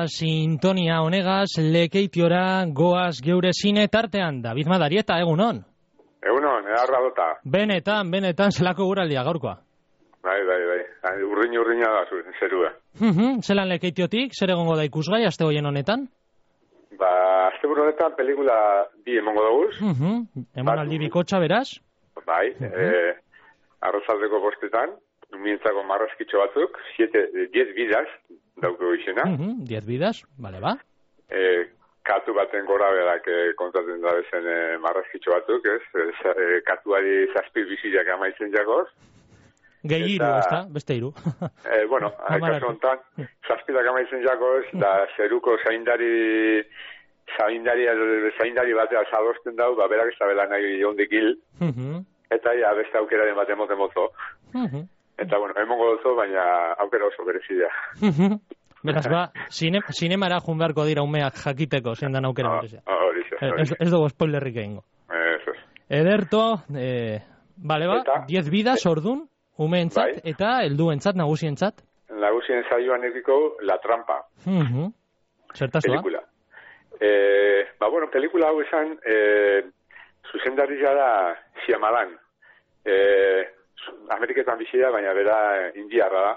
sintonia honegaz, lekeitiora goaz geure zine tartean. David Madarieta, egunon? Egunon, edarra dota. Benetan, zelako guraldia gaurkoa? Bai. Urdina da zerua. Zelan lekeitiotik, zer egongo da ikusgai, aste hoien honetan? Aste honetan pelikula bi emongo daguz. Emonaldi bikotxa, beraz? Bai, arrozaldeko bostetan, umientzako marrazkitxo batzuk, 10 bidaz, dauko izena. 10 bidaz, bale ba. Katu baten gora berak kontatzen da bezen marrazkitxo batzuk, ez? Katuari zazpi biziak amaitzen jagoz. Gehi iru, ez da? Beste iru. Bueno, kasu honetan, zazpidak amaitzen jagoz, da zeruko zaindari batea zadosten dau, berak ez da bela nahi hondik hil, eta beste aukeraren bat emoten mozo. Eta, bueno, emongo dozo, baina aukera oso berezidea. Beraz, sinemara jun beharko dira umeak jakiteko, zein dan aukera berezia. Ez dugu spoilerrik egingo. Ederto, bale ba, 10 bidas ordun, umeentzat eta helduentzat, nagusientzat? Nagusien saioan ediko La Trampa. Zertazua? Pelikula. Bueno, pelikula hau esan, zuzendaria da Shyamalan. Ameriketan bizia, baina bera indiarra da,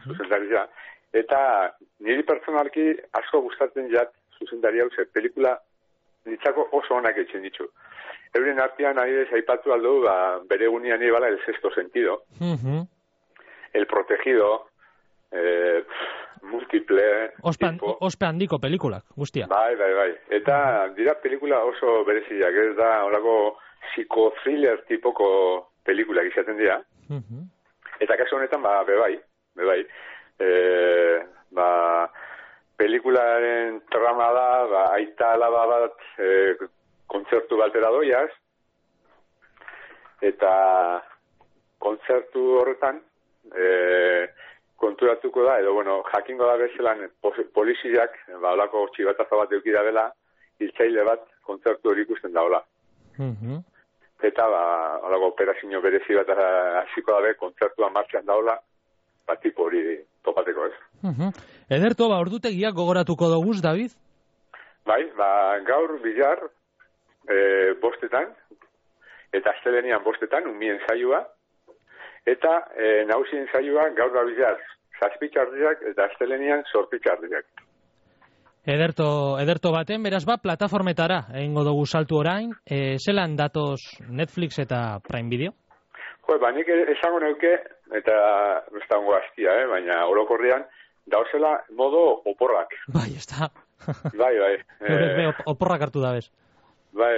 zuzendaria. Eta niri pertsonalki asko gustatzen jat zuzendaria hau, pelikula nitzako oso onak etxen ditu. Euren artean adibidez aipatu aldo, bere egunean ibala El Sexto Sentido, El Protegido, Múltiple... Ospe handiko pelikulak, guztia. Bai. Eta dira pelikula oso bereziak, ez da horako psiko-thriller tipoko pelikulak izaten dira. Eta kasu honetan, bebai. Pelikularen trama da, aita alaba bat kontzertu batera doiaz, eta kontzertu horretan konturatuko da, edo, bueno, jakingo da bezelan poliziak, olako txibataza bat eukida bela, hiltzaile bat kontzertu hori ikusten daola. Eta, olako operazio berezi bat hasiko dabe, kontzertua martxan daola, tipo hori topateko ez. Ederto, ordutegiak gogoratuko doguz, David? Bai, gaur bilar, bostetan, eta astelenian bostetan, umien saioa, eta nagusien saioa gaur da bilar, zazpitxardiak, eta astelenian sorpitxardiak. Ederto baten, beraz plataformetara egingo dugu saltu orain, zelan datoz Netflix eta Prime Video? Nik esango neuke, eta ez da hongo aztia, baina orokorrean, dauzela modo oporrak. Bai, ez da. Bai. Oporrak hartu da bez. Bai,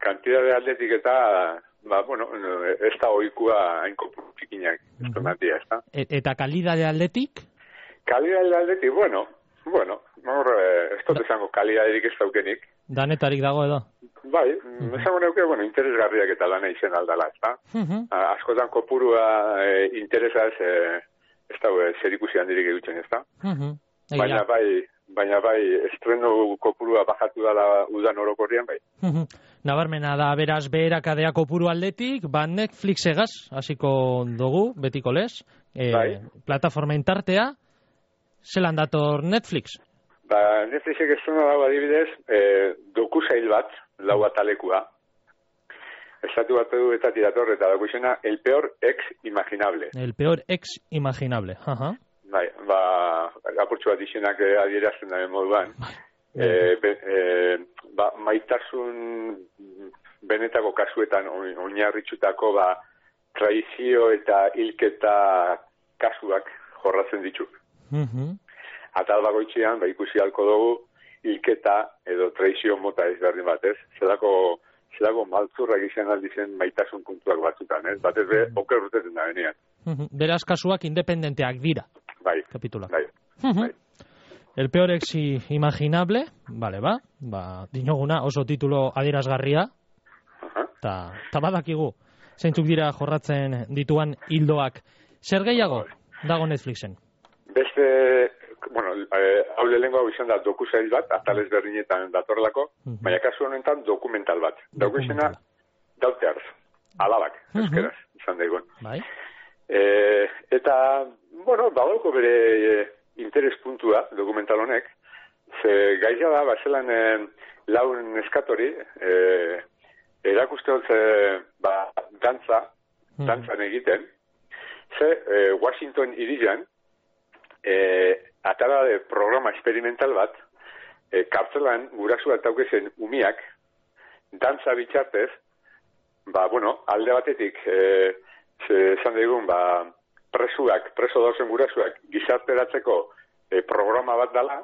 kantidade atletik eta, ez da oikua hainko txikinak, ez da. Eta kalidade atletik? Kalidade atletik, bueno, ez dut esango kalidaderik ez daukenik. Danetarik dago edo? Bai, esango neuke, interesgarriak eta lana izen aldala, ez da. Askotan kopurua interesa ez da zerikusi handirik egutzen, ez da. Baina bai, estreno kopurua bajatu dala udan orokorrian, bai. Nabarmena da, beraz, beherakadea kopuru aldetik, Netflix egaz, hasiko dugu, betiko lez, plataformen tartea, zelan dator Netflix? Netflixek estreno dago adibidez, dokusail bat, lau atalekua, estatu bat edu eta tirator, eta dago izena, El Peor Ex Imaginable. El Peor Ex Imaginable, Bai, apurtxu bat izenak adierazten da moduan. Maitasun benetako kasuetan oinarritxutako traizio eta hilketa kasuak jorratzen ditu. Atal bagoitzean, ikusi halko dugu, hilketa edo traizio mota ezberdin batez. Zelako maltzurrak izan aldizen maitasun puntuak batzutan, ez? Batez be, oker urtetzen da benean. Beraz kasuak independenteak dira. Bai. Kapitula. Bai. El Peor Ex Imaginable, bale dinoguna oso titulo adierazgarria, eta badakigu, zeintzuk dira jorratzen dituan hildoak. Zer gehiago dago Netflixen? Beste, hau lehenko hau izan da dokusail bat, atalez berdinetan datorlako, baina kasu honetan dokumental bat. Dauko izena, Daughters, alabak, euskeraz, izan daigun. Bai. Eta, badauko bere interespuntua dokumental honek, ze gaia da, bazelan laun neskatori, erakuste dut dantzan egiten, ze Washington irian, atara de programa experimental bat, kartzelan gurasua taukezen umiak, dantza bitxartez, alde batetik, esan daigun, preso dauzen gurasuak gizarteratzeko programa bat dala,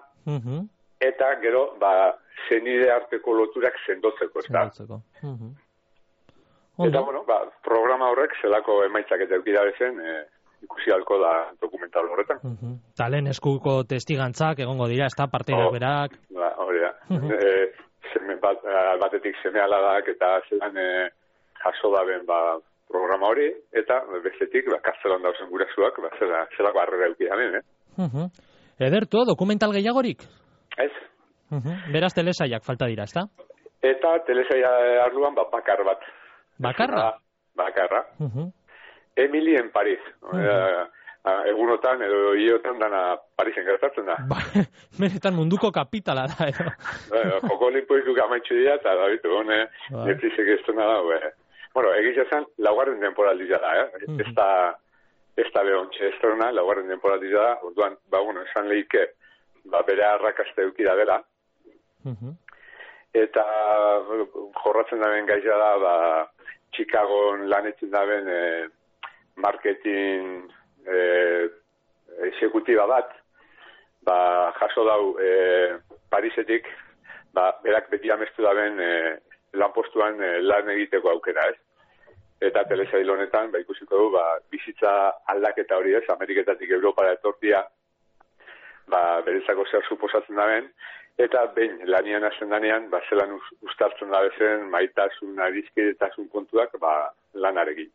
eta gero, zenide arteko loturak sendotzeko, ez da? Eta, programa horrek zelako emaitzak eta eukida bezen, ikusi halko da dokumental horretan. Talen eskuko testigantzak egongo dira, ez da, parteidak berak? Hori da. Batetik seme aladak eta zelan jaso daben programa hori, eta bestetik, kartzelan dauzen gurasuak, zelako harrera eukidamen, Ederto, dokumental gehiagorik? Ez. Beraz telesaiak falta dira, ez da? Eta telesaia arluan, bakar bat. Bakarra? Bakarra. Emily en Paris. Egunotan edo iotan dana Parisen gertatzen da. Benetan munduko kapitala da, edo. Joko olimpoikuk amaitxu dira, eta da bitu, Netflixek ez dena da, egitea zen, laugarren temporaldia da, ez da behontxe ez dena, laugarren temporaldia da, orduan, esan lehike, bere arrakazte eukida dela, eta jorratzen daben gaitza da, Chicagon lanetzen daben marketing exekutiba bat, jaso dau Parisetik, berak beti amestu daben lanpostuan lan egiteko aukera, ez? Eta telesail honetan, ikusiko du, bizitza aldaketa hori ez, Ameriketatik Europara etortia, berezako zer suposatzen daben, eta behin lanian hasten danean, zelan ustartzen da bezen, maitasun, arizkidetasun kontuak, lanarekin.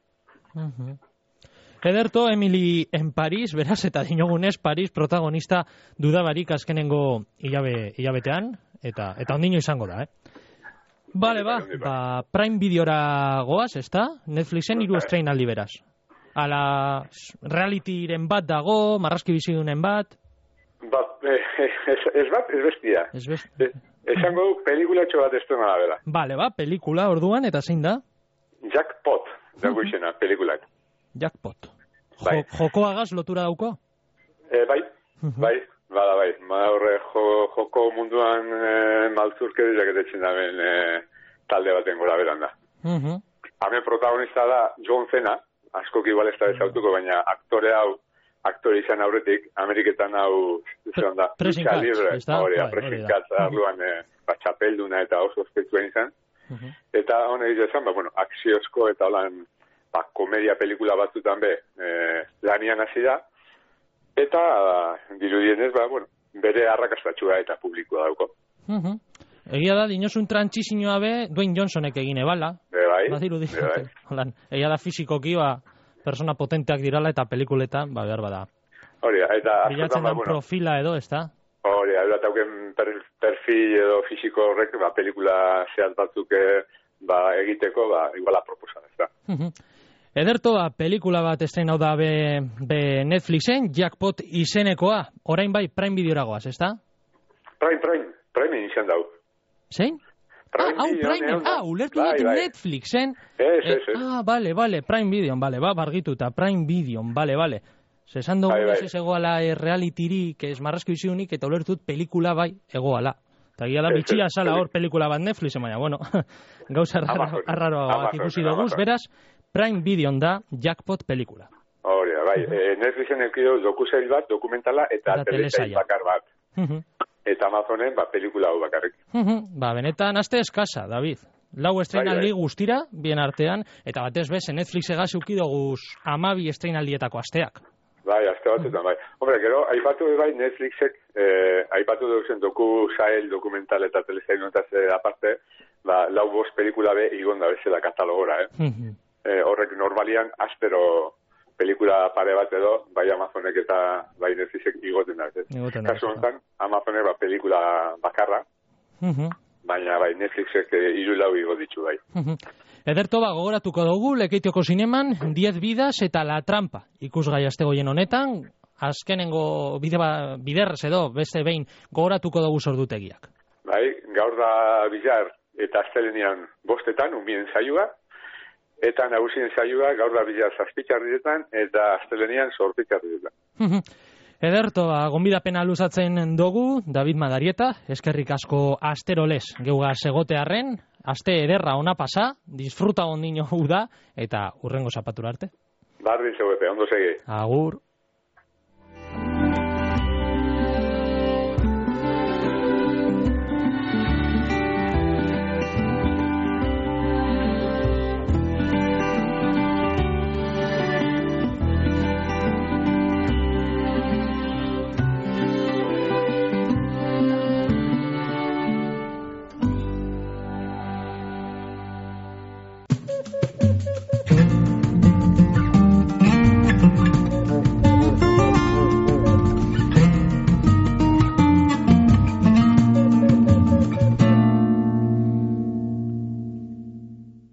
Ederto, Emily en Paris, beraz, eta dinogunez, Paris protagonista dudabarik azkenengo hilabetean, eta ondino izango da, Bale, Prime Videora goaz, ez da? Netflixen 3 estreinaldi beraz. Ala, realityren bat dago, marrazki bizidunen bat? Ez bestia. Esango du, pelikulatxo bat estrena da bera. Bale, pelikula orduan, eta zein da? Jackpot, dago izena, pelikulak. Jackpot. Jokoagaz lotura dauko? Bai. Joko munduan maltzurkeriak etetzen daben talde baten gora beran da. Hemen protagonista da John Cena, askok igual ez da ezautuko, baina aktore izan aurretik, Ameriketan hau Pressing Catch arluan txapelduna eta oso ospetsuen izan. Eta honek izan, akziozko eta holan komedia pelikula batzutan lanian hasi da, eta dirudienez, bere arrakastatxua eta publikoa dauko. Egia da, dinosun trantzizioa Dwayne Johnsonek egine bala. Egia da fizikoki, persona potenteak dirala eta pelikuletan, behar bada. Hori, eta bilatzen den profila edo, ez da? Hori, eta tauken perfil edo fiziko horrek, pelikula zehaz batzuk egiteko, iguala proposan, ez da. Ederto, pelikula bat estreinau da Netflixen, Jackpot izenekoa, orain bai Prime Videora goaz, ez da? Prime izan dau. Zein? Ulertu dut Netflixen. Bale, Prime Video, bargituta, Prime Video, bale. Zesan dugu ez egoala realityrik, ez marrazko iziunik, eta ulertu dut pelikula bai egoala. Eta gira da bitxia sala hor pelikula bat Netflixen, baina, gauza arraroa bat ikusi duguz, beraz, Prime Video da Jackpot pelikula. Hori, bai, Netflixen eukidu dokusail bat, dokumentala, eta telesail bakar bat. Eta Amazonen, pelikula hau bakarrik. Benetan, aste eskasa, David. Lau estreinaldi guztira, bien artean, eta batez bez, Netflix egaz eukidoguz 12 estreinaldietako asteak. Bai, aste batetan, bai. Hombre, gero, aipatu Netflixek, aipatu duzen dokusail, dokumental eta telesail notaz aparte, lau bost pelikula igonda bezala katalogora, horrek normalian, astero pelikula pare bat edo, bai Amazonek eta bai Netflixek igoten da. Kasu honetan, Amazonek pelikula bakarra, baina bai Netflixek 3 igo ditu bai. Ederto, gogoratuko dugu, Lekeitioko zineman, 10 vidas eta La trampa. Ikusgai astegoien honetan, azkenengo biderrez edo, beste behin, gogoratuko dugu sordutegiak. Bai, gaur da Bizar eta astelenean 5:00 umien saioa, eta nagusien saioa gaur da Bizar 7:00 eta astelenean 8:00. Ederto, gonbidapena luzatzen dugu, David Madarieta, eskerrik asko asterolez geuga segotearren, aste ederra ona pasa, disfruta ondino da, eta urrengo zapatura arte. Bardin zegoete, ondo segi. Agur.